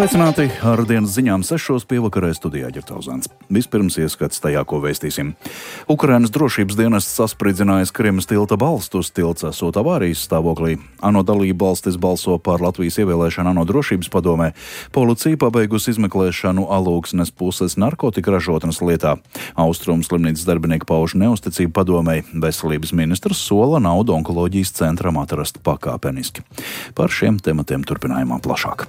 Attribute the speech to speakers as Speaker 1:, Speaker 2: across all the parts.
Speaker 1: Sveicināti ar dienas ziņām 6. pievakarē studijā Ģertauzāns. Vispirms ieskats tajā, ko vēstīsim. Ukrainas drošības dienests sasprindzinājis Krimas tilta balstus, tilts esot avārijas stāvoklī. ANO dalība valstis balso par Latvijas ievēlēšanu ANO drošības padomē. Policija pabeigusi izmeklēšanu Alūksnes puses narkotika ražotnes lietā. Austrumu slimnīcas darbinieki pauž neusticību padomei. Veselības ministrs sola naudu onkoloģijas centram atrast pakāpeniski. Par šiem tematiem turpinājumā plašāk.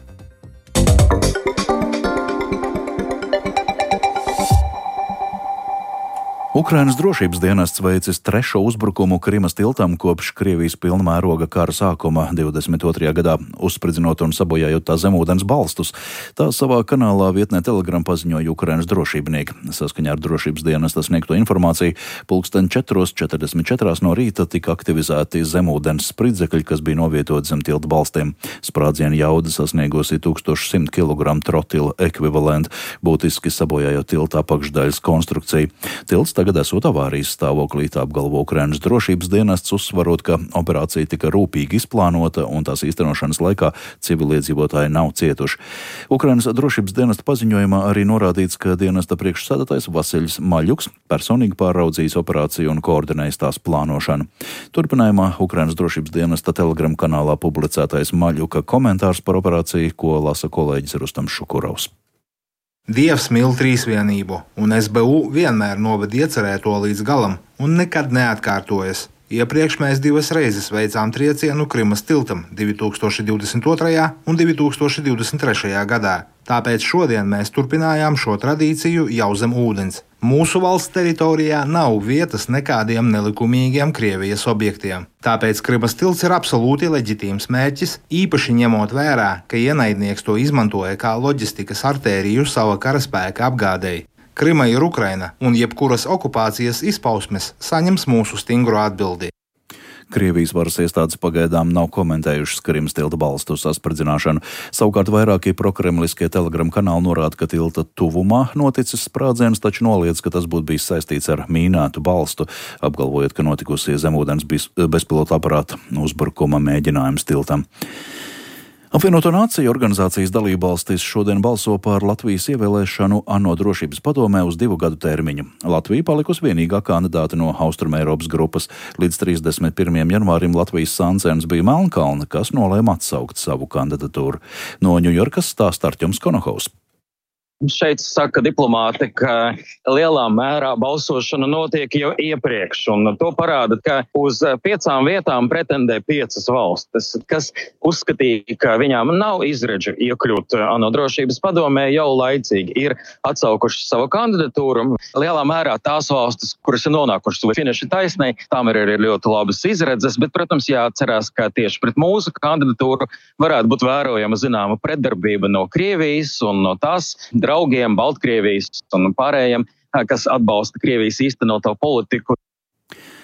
Speaker 1: Ukrainas drošības dienests veicis trešo uzbrukumu Krimas tiltam kopš Krievijas pilnmēroga kara sākuma 22. gadā, uzspridzinot un sabojājot tā zemūdens balstus. Tā savā kanālā vietnē Telegram paziņoja Ukrainas drošībnieki. Saskaņā ar drošības dienesta sniegto informāciju, pulksten 4:44 no rīta tika aktivizēti zemūdens spridzekļi, kas bija novietoti zem tilta balstiem. Sprādziena jauda sasniegusi 1100 kg trotila ekvivalentu, būtiski sabojājot tilta apakšdaļas konstrukciju. Tilts tagad esot avārijas stāvoklī, tā apgalvo Ukrainas drošības dienests, uzsvarot, ka operācija tika rūpīgi izplānota un tās īstenošanas laikā civiliedzīvotāji nav cietuši. Ukrainas drošības dienesta paziņojumā arī norādīts, ka dienesta priekšsēdētājs Vasiļs Maļuks personīgi pāraudzījis operāciju un koordinējis tās plānošanu. Turpinājumā Ukrainas drošības dienesta Telegram kanālā publicētais Maļuka komentārs par operāciju, ko lasa kolēģis Rustams Šukurovs.
Speaker 2: Dievs mīl trīsvienību, un SBU vienmēr noved iecerēto līdz galam un nekad neatkārtojas. Iepriekš mēs 2 reizes veicām triecienu Krimas tiltam 2022. un 2023. gadā. Tāpēc šodien mēs turpinājām šo tradīciju jau zem ūdens. Mūsu valsts teritorijā nav vietas nekādiem nelikumīgiem Krievijas objektiem. Tāpēc Krimas tilts ir absolūti leģitīms mērķis, īpaši ņemot vērā, ka ienaidnieks to izmantoja kā loģistikas artēriju sava karaspēka apgādēji. Krima ir Ukraina, un jebkuras okupācijas izpausmes saņems mūsu stingru atbildi.
Speaker 1: Krievijas varas iestādes pagaidām nav komentējušas Krimas tilta balstu saspridzināšanu. Savukārt vairākie prokremliskie Telegram kanāli norāda, ka tilta tuvumā noticis sprādziens, taču noliedz, ka tas būtu bijis saistīts ar mīnētu balstu, apgalvojot, ka notikusi zemūdens bezpilota aparāta uzbrukuma mēģinājums tiltam. Apvienoto Nāciju organizācijas dalībvalstis šodien balso par Latvijas ievēlēšanu ANO drošības padomē uz 2 gadu termiņu. Latvija palikusi vienīgā kandidāte no Austrumeiropas grupas. Līdz 31. janvārim Latvijas sancens bija Melnkalne, kas nolēma atsaukt savu kandidatūru. No Ņujorkas stāsta Artjoms Konohovs.
Speaker 3: Šeit saka diplomāti, ka lielā mērā balsošana notiek jau iepriekš, un to parāda, ka uz 5 vietām pretendē 5 valstis, kas uzskatīja, ka viņām nav izredzu iekļūt ANO drošības padomē jau laicīgi, ir atsaukuši savu kandidatūru. Lielā mērā tās valstis, kuras ir nonākušas līdz finiša taisnei, tām ir ļoti labas izredzes, bet, protams, jāatcerās, ka tieši pret mūsu kandidatūru varētu būt vērojama zināma pretdarbība no Krievijas un no tās draugiem, Baltkrievijas un pārējiem, kas atbalsta Krievijas īstenoto politiku.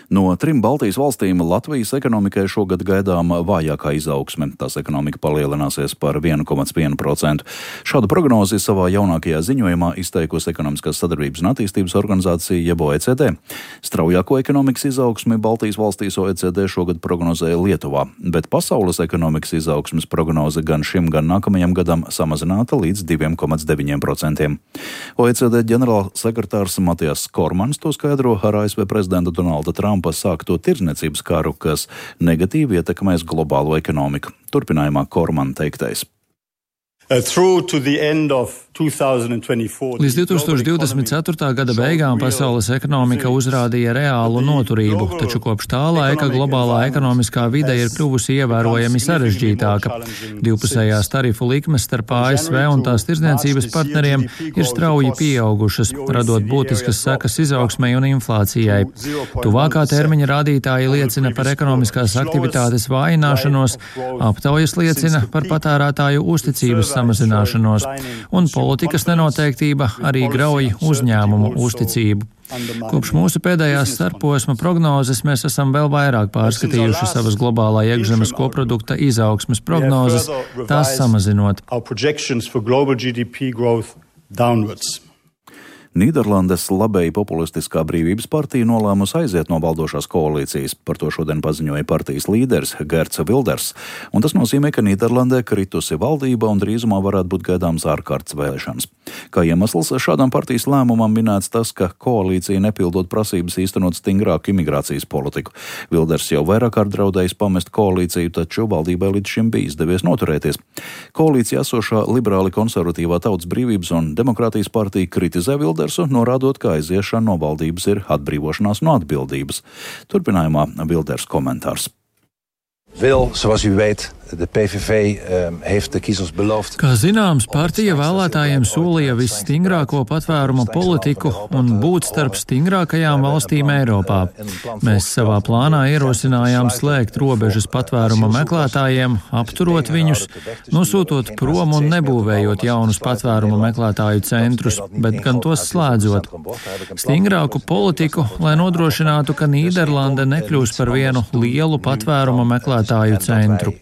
Speaker 1: No 3 Baltijas valstīm Latvijas ekonomikai šogad gaidām vājākā izaugsme. Tās ekonomika palielināsies par 1,1%. Šādu prognozi savā jaunākajā ziņojumā izteikusi Ekonomiskās sadarbības un attīstības organizācija jeb OECD. Straujāko ekonomikas izaugsmi Baltijas valstīs OECD šogad prognozēja Lietuvā, bet pasaules ekonomikas izaugsmes prognoze gan šim, gan nākamajam gadam samazināta līdz 2,9%. OECD ģenerālsekretārs Matijas Kormans to skaidro ar ASV prezidenta Donalda Trumpa sākto tirdzniecības karu, kas negatīvi ietekmēs globālo ekonomiku. Turpinājumā Kormana teiktais.
Speaker 4: Līdz 2024. gada beigām pasaules ekonomika uzrādīja reālu noturību, taču kopš tā laika globālā ekonomiskā vide ir kļuvusi ievērojami sarežģītāka. Divpusējās tarifu likmes starp ASV un tās tirdzniecības partneriem ir strauji pieaugušas, radot būtiskas sekas izaugsmei un inflācijai. Tuvākā termiņa rādītāji liecina par ekonomiskās aktivitātes vājināšanos, aptaujas liecina par patērētāju uzticības samazināšanos, un politikas nenoteiktība arī grauj uzņēmumu uzticību. Kopš mūsu pēdējās starposma prognozes mēs esam vēl vairāk pārskatījuši savas globālā iekšzemes koprodukta izaugsmes prognozes, tās samazinot.
Speaker 1: Nīderlandes labēji populistiskā Brīvības partija nolēmusi aiziet no valdošās koalīcijas. Par to šodien paziņoja partijas līderis Geerts Wilders. Un tas nozīmē, ka Nīderlandē kritusi valdība un drīzumā varētu būt gaidāms ārkārtas vēlēšanas. Kā iemesls šādam partijas lēmumam minēts tas, ka koalīcija nepildot prasības īstenot stingrāku imigrācijas politiku. Wilders jau vairāk kārt draudējis pamest koalīciju, taču valdībai līdz šim bija izdevies noturēties. Koalīcija esošā liberāli konservatīvā Tautas brīvības un demokrātijas partija kritizē Wildersu, norādot, ka aiziešana no valdības ir atbrīvošanās no atbildības. Turpinājumā Wilders komentārs.
Speaker 5: Zoals u weet, de PVV heeft de kiezers beloofd.
Speaker 4: Kā zināms, partija vēlētājiem solīja visstingrāko patvēruma politiku un būt starp stingrākajām valstīm Eiropā. Mēs savā plānā ierosinājām slēgt robežas patvēruma meklētājiem, apturot viņus, nosūtot prom un nebūvējot jaunus patvēruma meklētāju centrus, bet gan tos slēdzot. Stingrāku politiku, lai nodrošinātu, ka Nīderlande nekļūs par vienu lielu patvēruma meklētāju centru.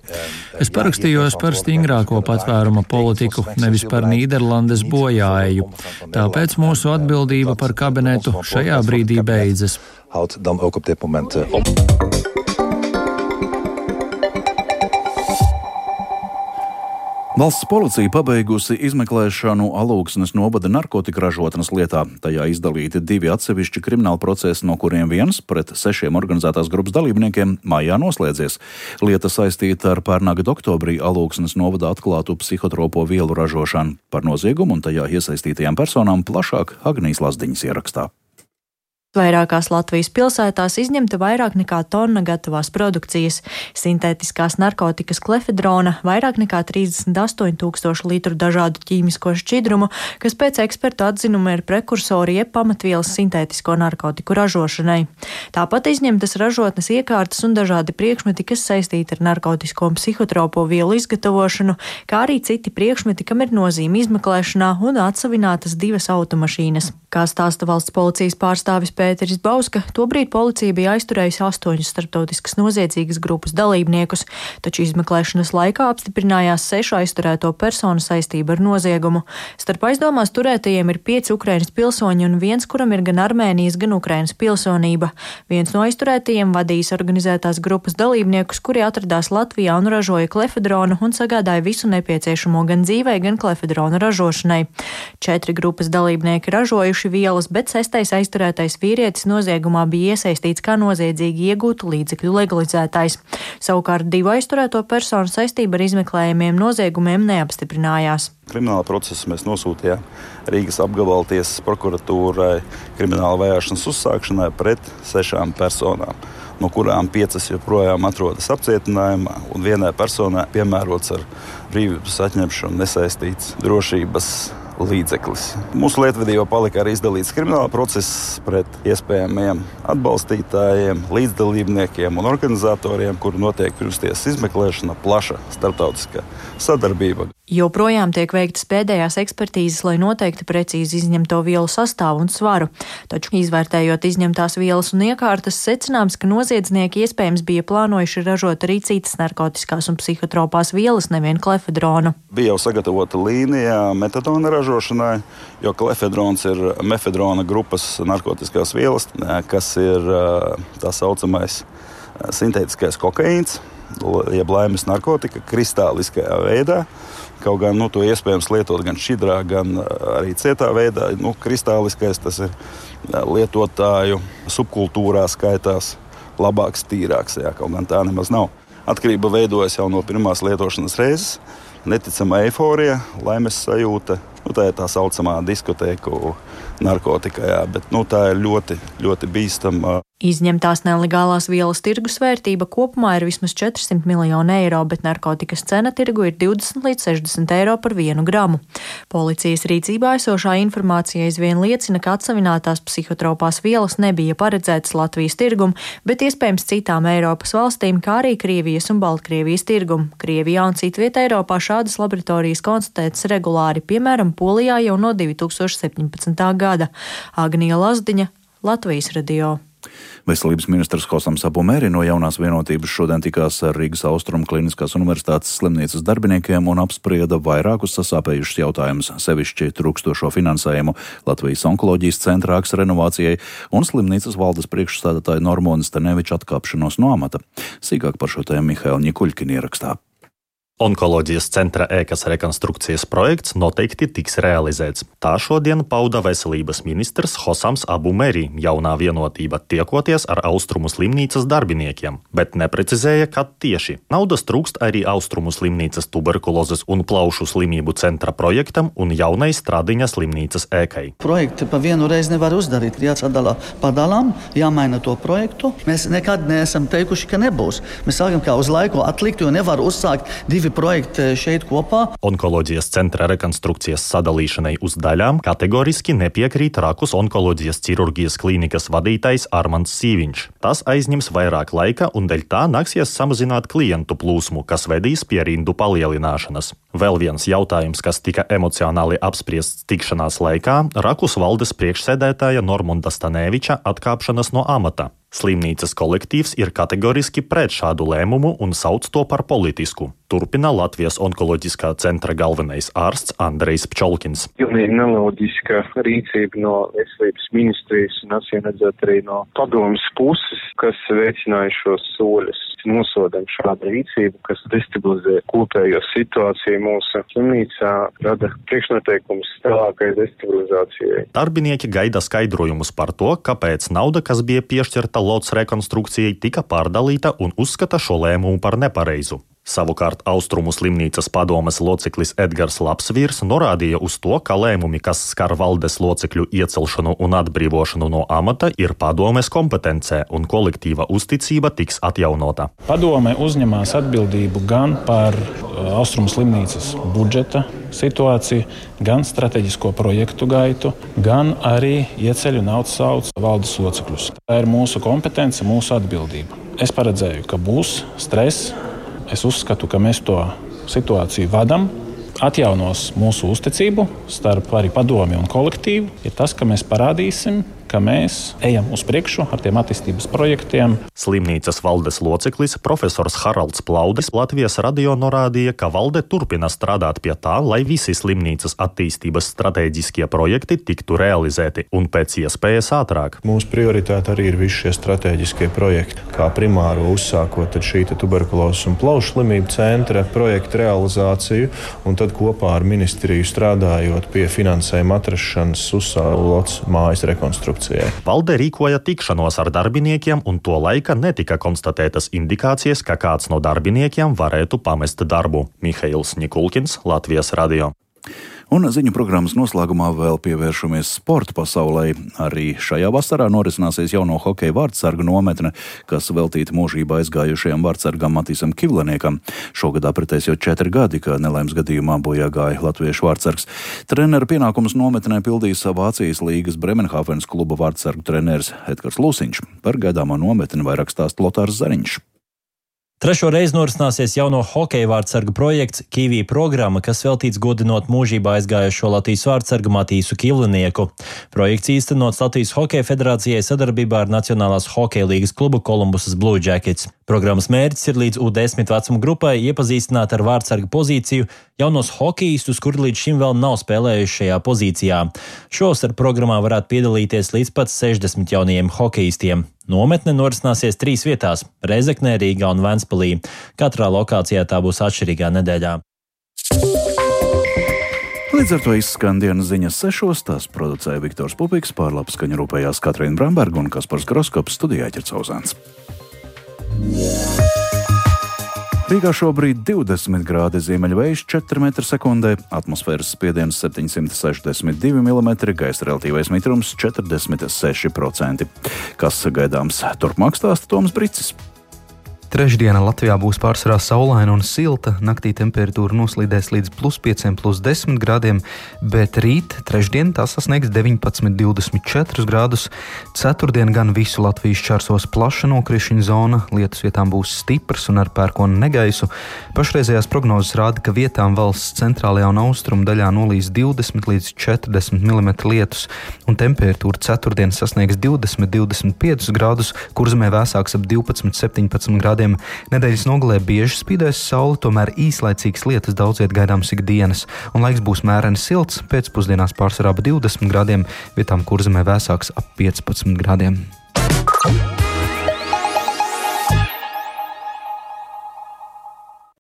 Speaker 4: Es parakstījos par stingrāko patvēruma politiku, nevis par Nīderlandes bojāeju. Tāpēc mūsu atbildība par kabinetu šajā brīdī beidzas.
Speaker 1: Valsts policija pabeigusi izmeklēšanu Alūksnes novada narkotika ražotnes lietā. Tajā izdalīti 2 atsevišķi krimināli procesi, no kuriem viens pret 6 organizētās grupas dalībniekiem maijā noslēdzies. Lieta saistīta ar pērnā gada oktobrī Alūksnes novadā atklātu psihotropo vielu ražošanu. Par noziegumu un tajā iesaistītajām personām plašāk Agnijas Lazdiņas ierakstā.
Speaker 6: Vairākās Latvijas pilsētās izņemta vairāk nekā tonna gatavās produkcijas, sintētiskās narkotikas klefedrona, vairāk nekā 38 000 litru dažādu ķīmisko šķidrumu, kas pēc ekspertu atzinuma ir prekursori jeb pamatvielas sintētisko narkotiku ražošanai. Tāpat izņemtas ražotnes iekārtas un dažādi priekšmeti, kas saistīti ar narkotisko un psihotropo vielu izgatavošanu, kā arī citi priekšmeti, kam ir nozīme izmeklēšanā un atsavinātas 2 automašīnas. Kā stāsta valsts policijas pārstāvis Pēteris Bauska, tobrīd policija bija aizturējusi 8 starptautiskas noziedzīgas grupas dalībniekus, taču izmeklēšanas laikā apstiprinājās 6 aizturēto personu saistība ar noziegumu. Starp aizdomās turētajiem ir 5 Ukrainas pilsoņi un viens, kuram ir gan Armēnijas, gan Ukrainas pilsonība. Viens no aizturētajiem vadījis organizētās grupas dalībniekus, kuri atradās Latvijā un ražoja klefedronu un sagādāja visu nepieciešamo gan dzīvei, gan klefedronu ražošanai. 4 grupas dalībnieki ražojuši vielas, bet 6. aizturētais vīrietis noziegumā bija iesaistīts kā noziedzīgi iegūtu līdzekļu legalizētājs. Savukārt 2 aizturēto personu saistība ar izmeklējumiem noziegumiem neapstiprinājās.
Speaker 7: Krimināla procesu mēs nosūtījām Rīgas apgabala tiesas prokuratūrai krimināla vajāšanas uzsākšanai pret 6 personām, no kurām 5 joprojām atrodas apcietinājumā un vienai personai piemērots ar brīvības atņemšanu nesaistīts drošības līdzeklis. Mūsu lietvedībā palika arī izdalīts krimināla process pret iespējamiem atbalstītājiem, līdzdalībniekiem un organizatoriem, kuru notiek pirmstiesas izmeklēšana, plaša starptautiskā sadarbība.
Speaker 6: Joprojām tiek veiktas pēdējās ekspertīzes, lai noteikti precīzi izņemto vielu sastāvu un svaru, taču izvērtējot izņemtās vielas un iekārtas, secināms, ka noziedznieki iespējams bija plānojuši ražot arī citas narkotiskās un psihotropās vielas, nevien klefedronu.
Speaker 7: Bija jau sagatavota līnija metadona ražošanai, jo klefedrons ir mefedrona grupas narkotiskās vielas, kas ir tā saucamais sintētiskais kokaīns, jeb laimes narkotika, kristāliskajā veidā. Kaut gan to iespējams lietot gan šķidrā, gan arī cietā veidā. Kristāliskais tas ir lietotāju subkultūrā skaitās labāks, tīrāks, kaut gan tā nemaz nav. Atkarība veidojas jau no pirmās lietošanas reizes, neticama eiforija, laimes sajūta. Tā ir tā saucamā diskotēku narkotika, bet tā ir ļoti, ļoti bīstama.
Speaker 6: Izņemtās nelegālās vielas tirgus vērtība kopumā ir vismaz 400 miljoni eiro, bet narkotikas cena tirgu ir 20 līdz 60 eiro par 1 gramu. Policijas rīcībā esošā informācija aizvien liecina, ka atsavinātās psihotropās vielas nebija paredzētas Latvijas tirgum, bet iespējams citām Eiropas valstīm, kā arī Krievijas un Baltkrievijas tirgum. Krievijā un citvietā Eiropā šādas laboratorijas konstatētas regulāri, piemēram, Polijā jau no 2017. gada. Agnija Lazdiņa, Latvijas radio.
Speaker 1: Veselības ministrs Hosams Abu Meri no Jaunās vienotības šodien tikās ar Rīgas Austrumu Kliniskās universitātes slimnīcas darbiniekiem un apsprieda vairākus sasāpējušus jautājumus, sevišķi trūkstošo finansējumu Latvijas onkoloģijas centra ēkas renovācijai un slimnīcas valdes priekšsēdētāja Normūnas Staneviča atkāpšanos no amata. Sīkāk par šo tēmu Mihaila Ņikuļkina ierakstā.
Speaker 8: Onkoloģijas centra ēkas rekonstrukcijas projekts noteikti tiks realizēts. Tā šodien pauda veselības ministrs Hosams Abu Meri, Jaunā vienotība, tiekoties ar Austrumu slimnīcas darbiniekiem, bet neprecizēja, kad tieši. Naudas trūkst arī Austrumu slimnīcas tuberkulozes un plaušu slimību centra projektam un jaunai Stradiņa slimnīcas ēkai.
Speaker 9: Projekti pa vienu reizi nevar uzdarīt, jāsadala padalām, jāmaina to projektu. Mēs nekad neesam teikuši, ka nebūs. Mēs sākam kā uz laiku atlikt, jo nevar uzsākt divi projekti šeit kopā.
Speaker 8: Onkoloģijas centra rekonstrukcijas sadalīšanai uz daļām kategoriski nepiekrīt Rakus onkoloģijas ķirurģijas klīnikas vadītājs Armands Sīviņš. Tas aizņems vairāk laika un dēļ tā nāksies samazināt klientu plūsmu, kas vedīs pie rindu palielināšanas. Vēl viens jautājums, kas tika emocionāli apspriests tikšanās laikā, Rakus valdes priekšsēdētāja Normunda Staneviča atkāpšanas no amata. Slimnīcas kolektīvs ir kategoriski pret šādu lēmumu un sauc to par politisku. Turpina Latvijas onkoloģiskā centra galvenais ārsts Andrejs Pčolkins.
Speaker 10: Pilnīgi neloģiska rīcība no veselības ministrijas un acīmredzot arī no padomes puses, kas veicināja šos soļus. Nosodam šādu rīcību, kas destabilizē kopējo situāciju mūsu slimnīcā, rada priekšnoteikumus tālākai destabilizācijai.
Speaker 8: Darbinieki gaida skaidrojumus par to, kāpēc nauda, kas bija piešķirta lots rekonstrukcijai, tika pārdalīta un uzskata šo lēmumu par nepareizu. Savukārt Austrumu slimnīcas padomes loceklis Edgars Lapsvīrs norādīja uz to, ka lēmumi, kas skar valdes locekļu iecelšanu un atbrīvošanu no amata, ir padomes kompetencē un kolektīva uzticība tiks atjaunota.
Speaker 11: Padome uzņemās atbildību gan par Austrumu slimnīcas budžeta situāciju, gan strateģisko projektu gaitu, gan arī ieceļ un atsauc valdes locekļus. Tā ir mūsu kompetence, mūsu atbildība. Es paredzēju, ka būs stress. Es uzskatu, ka mēs to situāciju vadam, atjaunos mūsu uzticību starp arī padomi un kolektīvu. Ir tas, ka mēs parādīsim, ka mēs ejam uz priekšu ar tiem attīstības projektiem.
Speaker 8: Slimnīcas valdes loceklis profesors Haralds Plaudis Latvijas radio norādīja, ka valde turpina strādāt pie tā, lai visi slimnīcas attīstības stratēģiskie projekti tiktu realizēti un pēc iespējas ātrāk.
Speaker 12: Mūsu prioritāte arī ir visi šie stratēģiskie projekti, kā primāro uzsākot šī tuberkulozes un plaušu slimību centra projekta realizāciju un tad kopā ar ministriju strādājot pie finansējuma atrašanas uzsālots mājas rekonstrukciju.
Speaker 8: Valde rīkoja tikšanos ar darbiniekiem, un to laika netika konstatētas indikācijas, ka kāds no darbiniekiem varētu pamest darbu. Mihails Ņikuļkins, Latvijas radio.
Speaker 1: Un ziņu programmas noslēgumā vēl pievēršamies sporta pasaulē. Arī šajā vasarā norisināsies jauno hokeja vārtsargu nometne, kas veltīta mūžībā aizgājušajam vārtsargam Matīsam Kivleniekam. Šogad apritēs jau 4 gadi, kad nelaimes gadījumā bojā gāja latviešu vārtsargs. Treneru pienākumus nometnē pildīs Vācijas līgas Bremenhāvenas kluba vārtsargu treneris Edgars Lūsiņš. Par gaidāmo nometni vairāk stāsta Lotārs Zariņš.
Speaker 13: Trešo reizi norisināsies jauno hokeja vārtsargu projekts Kivī programma, kas veltīts godinot mūžībā aizgājušo Latvijas vārtsargu Matīsu Kivlenieku. Projekts īstenots Latvijas Hokeja federācijai sadarbībā ar Nacionālās hokeja līgas klubu Columbusas Blue Jackets. Programmas mērķis ir līdz U10 vecuma grupai iepazīstināt ar vārtsarga pozīciju jaunos hokejistus, kuri līdz šim vēl nav spēlējuši šajā pozīcijā. Šovasar programmā varētu piedalīties līdz pat 60 jaunajiem hokejistiem. Nometne norisināsies 3 vietās – Rēzeknē, Rīgā un Ventspilī. Katrā lokācijā tā būs atšķirīgā nedēļā.
Speaker 1: Līdz ar to izskan dienas ziņas 6. Tās producēja Viktors Pupiks, pārlapu skaņu rūpējās Katrīna Bramberga un Kaspars Groskops, studijā Ķercauzāns. Rīgā šobrīd 20 grādi, ziemeļvējš 4 m/sekundē, atmosfēras spiediens 762 mm, gaisa relatīvais mitrums 46%. Kas gaidāms turpmāk, stāsta Toms Bricis.
Speaker 14: Trešdiena Latvijā būs pārsvarā saulaina un silta, naktī temperatūra noslīdēs līdz +5, +10 grādiem, bet rīt, trešdien, tā sasniegs 19, 24 grādus. Ceturtdien gan visu Latviju šķērsos plaša nokrišņu zona, lietus vietām būs stiprs un ar pērkonu negaisu. Pašreizējās prognozes rāda, ka vietām valsts centrālajā un austrumu daļā nolīs 20 līdz 40 mm lietus, un temperatūra ceturtdien sasniegs 20, 25 grādus, Kurzemē vēsāks ap 12, 17 grādiem. Nedēļas nogalē bieži spīdēs saule, tomēr īslaicīgas lietas daudziet gaidāms ikdienas, un laiks būs mēreni silts, pēcpusdienās pārsvarā ap 20 grādiem, vietām Kurzemē vēsāks ap 15 grādiem.